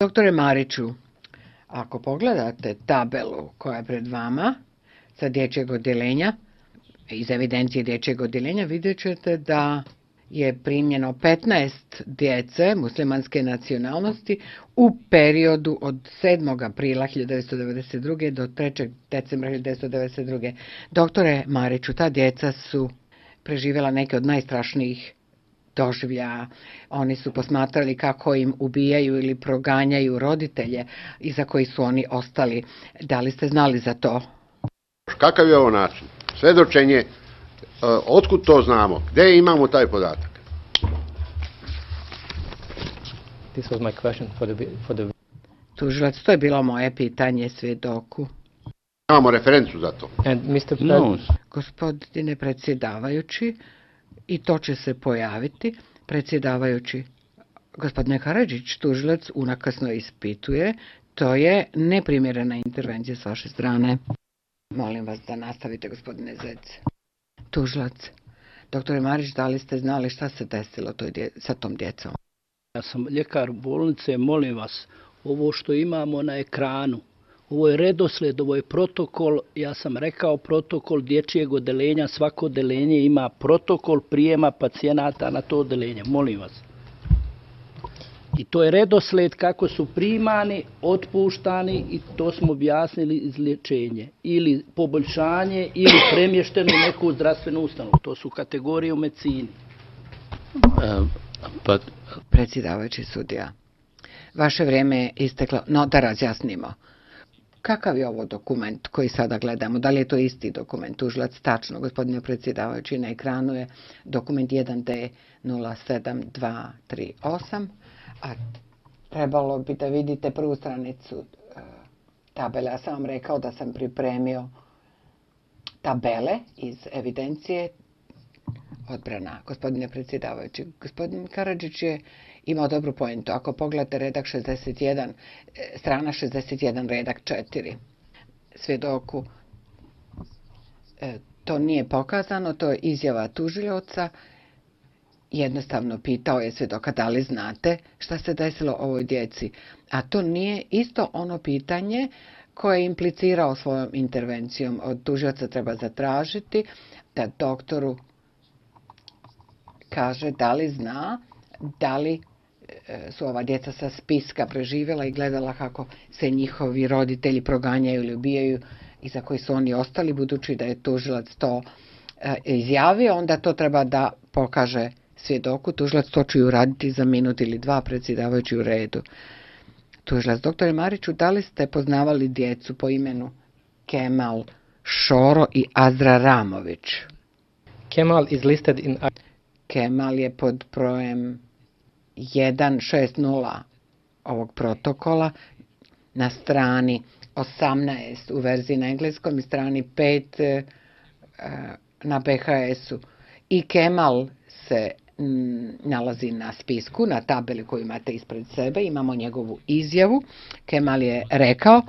Doktore Mariću, ako pogledate tabelu koja je pred vama sa dječjeg odjeljenja, iz evidencije dječjeg odjeljenja, vidjet ćete da je primljeno 15 djece muslimanske nacionalnosti u periodu od 7. aprila 1992. do 3. decembra 1992. Doktore Mariću, ta djeca su preživjela neke od najstrašnijih doživljaja. Oni su posmatrali kako im ubijaju ili proganjaju roditelje iza koji su oni ostali. Da li ste znali za to? Kakav je ovo način? Svjedočenje, otkud to znamo? Gdje imamo taj podatak? This was my question for the... Tužilac, to je bilo moje pitanje svjedoku. Imamo referencu za to. And Mr. Gospodine predsjedavajući, i to će se pojaviti, predsjedavajući, gospodine Karadžić, tužilac unakasno ispituje, to je neprimjerena intervencija s vaše strane. Molim vas da nastavite, gospodine Zec. Tužilac, doktore Marić, da li ste znali šta se desilo sa tom djecom? Ja sam ljekar bolnice, molim vas, ovo što imamo na ekranu, ovo je redoslijed, ovo je protokol, ja sam rekao protokol dječjeg odeljenja, svako odeljenje ima protokol prijema pacijenata na to odeljenje, molim vas. I to je redoslijed kako su primani, otpuštani i to smo objasnili izlječenje. Ili poboljšanje ili premješteno u neku zdravstvenu ustanovu. To su kategorije u medicini. Predsjedavajući sudija, vaše vrijeme je isteklo, no da razjasnimo. Kakav je ovo dokument koji sada gledamo? Da li je to isti dokument? Tužilac, tačno, gospodine predsjedavajući, na ekranu je dokument 1D07238, a trebalo bi da vidite prvu stranicu tabele. Ja sam vam rekao da sam pripremio tabele iz evidencije odbrana. Gospodine predsjedavajući, gospodin Karadžić je imao dobru pojentu. Ako pogledate redak 61, strana 61, redak 4, svjedoku, to nije pokazano, to je izjava tužioca. Jednostavno pitao je svjedoka da li znate šta se desilo ovoj djeci. A to nije isto ono pitanje koje je implicirao svojom intervencijom. Od tužioca treba zatražiti da doktoru kaže da li zna, da li su ova djeca sa spiska preživjela i gledala kako se njihovi roditelji proganjaju ili ubijaju i za koji su oni ostali, budući da je tužilac to izjavio, onda to treba da pokaže svjedoku. Tužilac to će uraditi za minut ili dva, predsjedavajući u redu. Tužilac, doktore Mariću, da li ste poznavali djecu po imenu Kemal Šoro i Azra Ramović? Kemal is listed in... Kemal je pod brojem 160 ovog protokola na strani 18 u verziji na engleskom i strani 5 na BHS-u. I Kemal se nalazi na spisku, na tabeli koju imate ispred sebe. Imamo njegovu izjavu. Kemal je rekao,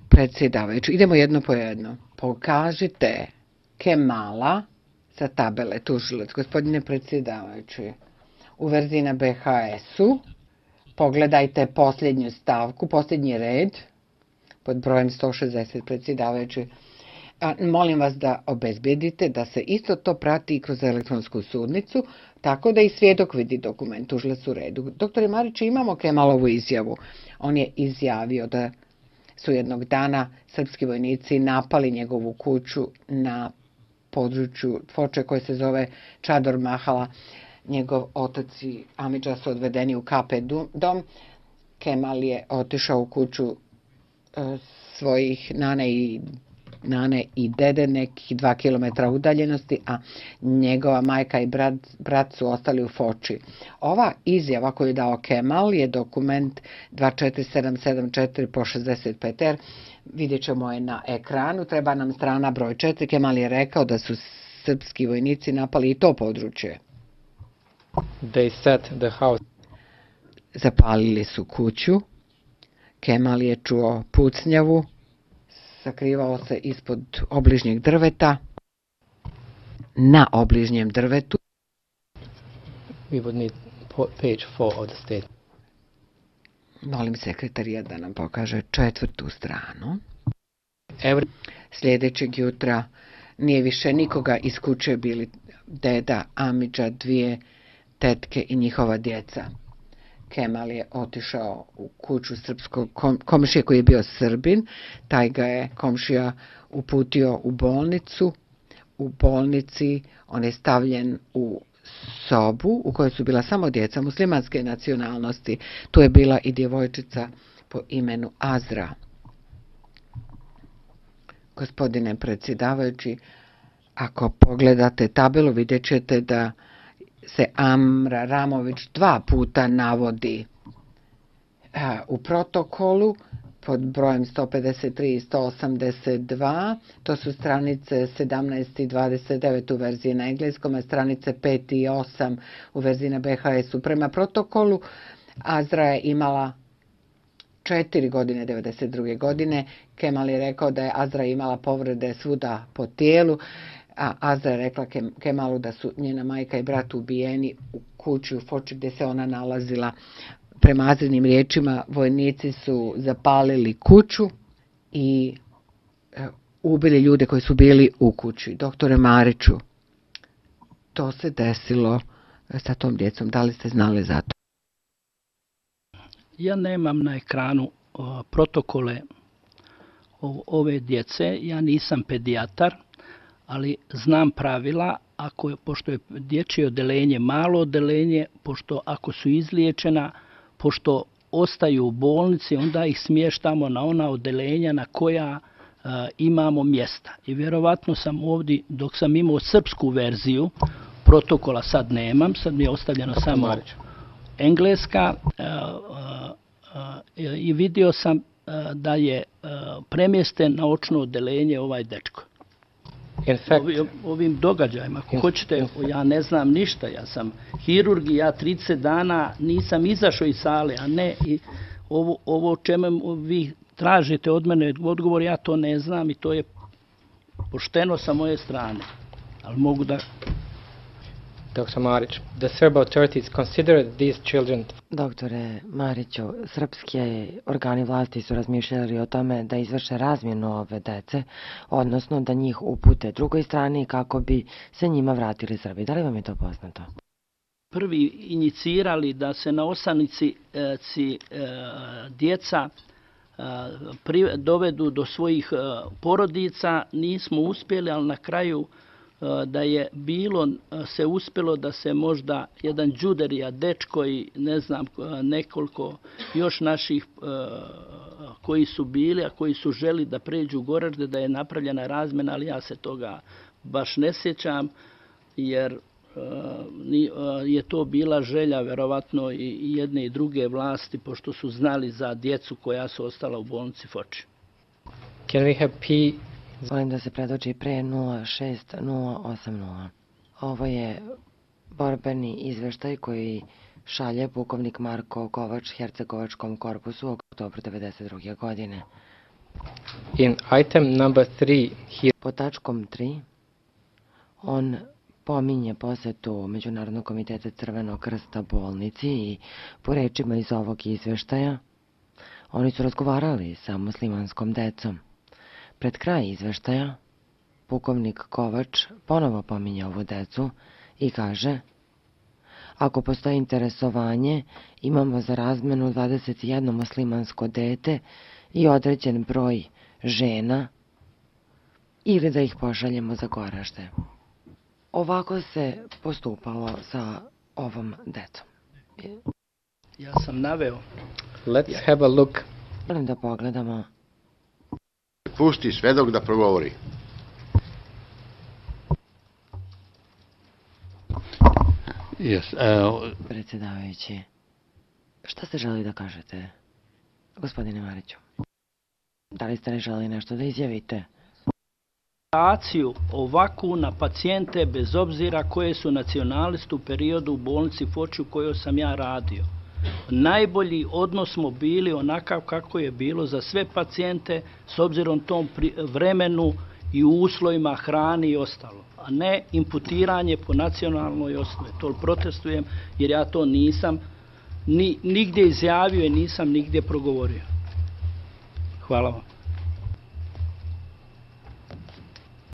predsjedavajući, idemo jedno po jedno. Pokažite Kemala sa tabele, tužilac, gospodine predsjedavajući, u verziji na BHS-u, pogledajte posljednju stavku, posljednji red, pod brojem 160, predsjedavajući. Molim vas da obezbedite da se isto to prati i kroz elektronsku sudnicu, tako da i svjedok vidi dokument, tužilac u redu. Doktore Mariću, imamo Kemalovu izjavu. On je izjavio da su jednog dana srpski vojnici napali njegovu kuću na području Foče koje se zove Čador Mahala. Njegov otac i amidža su odvedeni u KP dom. Kemal je otišao u kuću svojih nane i dede nekih 2 kilometra udaljenosti, a njegova majka i brat su ostali u Foči. Ova izjava koju je dao Kemal je dokument 24774 po 65R. Vidjet ćemo je na ekranu. Treba nam strana broj 4. Kemal je rekao da su srpski vojnici napali i to područje. They set the house. Zapalili su kuću. Kemal je čuo pucnjavu. Sakrivao se ispod obližnjeg drveta. Na obližnjem drvetu. We would need page 4 of the statement. Molim sekretarija da nam pokaže 4. stranu. Every Sljedećeg jutra nije više nikoga iz kuće, bili deda, amidža, 2 tetke i njihova djeca. Kemal je otišao u kuću srpskog komšije koji je bio Srbin. Taj ga je komšija uputio u bolnicu. U bolnici on je stavljen u sobu u kojoj su bila samo djeca muslimanske nacionalnosti. Tu je bila i djevojčica po imenu Azra. Gospodine predsjedavajući, ako pogledate tabelu vidjet ćete da se Amra Ramović 2 puta navodi u protokolu pod brojem 153 i 182, to su stranice 17 i 29 u verziji na engleskom, a stranice 5 i 8 u verziji na BHS-u. Prema protokolu Azra je imala 4 godine, 92. godine. Kemal je rekao da je Azra imala povrede svuda po tijelu, a Azra je rekla Kemalu da su njena majka i brat ubijeni u kući u Foči gdje se ona nalazila. Prema Azrinim riječima, vojnici su zapalili kuću i ubili ljude koji su bili u kući. Doktore Mariću, to se desilo sa tom djecom. Da li ste znali za to? Ja nemam na ekranu protokole ove djece, ja nisam pedijatar, ali znam pravila, pošto je dječje odeljenje malo odeljenje, pošto ako su izliječena, pošto ostaju u bolnici, onda ih smještamo na ona odeljenja na koja imamo mjesta. I vjerovatno sam ovdje, dok sam imao srpsku verziju, protokola sad nemam, sad mi je ostavljeno samo engleska, i vidio sam da je premješten na očno odeljenje ovaj dečko. Ovim događajima, ako hoćete, ja ne znam ništa, ja sam hirurg i ja 30 dana nisam izašao iz sale, a ne i ovo čemu vi tražite od mene odgovor, ja to ne znam i to je pošteno sa moje strane, ali mogu da... Dr. Marić, the Serb authorities considered these children. Doktore Mariću, srpske organi vlasti su razmišljali o tome da izvrše razmjenu ove dece, odnosno da njih upute drugoj strani kako bi se njima vratili Srbi. Da li vam je to poznato? Prvi inicirali da se na Osanici djeca dovedu do svojih porodica, nismo uspjeli, ali na kraju da je se uspjelo da se možda jedan Đuderija, dečko i ne znam nekoliko još naših koji su bili, a koji su želi da pređu u Goražde, da je napravljena razmjena, ali ja se toga baš ne sjećam, jer je to bila želja verovatno i jedne i druge vlasti, pošto su znali za djecu koja su ostala u bolnici Foči. Can we have P? Molim da se predoči pre 06080. Ovo je borbeni izveštaj koji šalje pukovnik Marko Kovač Hercegovačkom korpusu u oktobru 1992. godine. In item number 3, po tačkom 3, on pominje posetu Međunarodnog komiteta Crvenog krsta bolnici i po rečima iz ovog izveštaja oni su razgovarali sa muslimanskom decom. Pred kraj izveštaja, pukovnik Kovač ponovo pominje ovu decu i kaže: ako postoji interesovanje, imamo za razmenu 21 muslimansko dete i određen broj žena, ili da ih pošaljemo za Goražde. Ovako se postupalo sa ovom decom. Ja sam naveo. Let's have a look. Molim da pogledamo. Pusti svedok da progovori. Predsjedavajući, šta ste želi da kažete, gospodine Mariću? Da li ste ne želi nešto da izjavite? Akciju ovakvu na pacijente bez obzira koje su nacionaliste u periodu u bolnici Foči u kojoj sam ja radio. Najbolji odnos smo bili onakav kako je bilo za sve pacijente s obzirom tom vremenu i uslovima hrani i ostalo, a ne imputiranje po nacionalnoj osnovi. To protestujem jer ja to nisam nigdje izjavio i nisam nigdje progovorio. Hvala vam.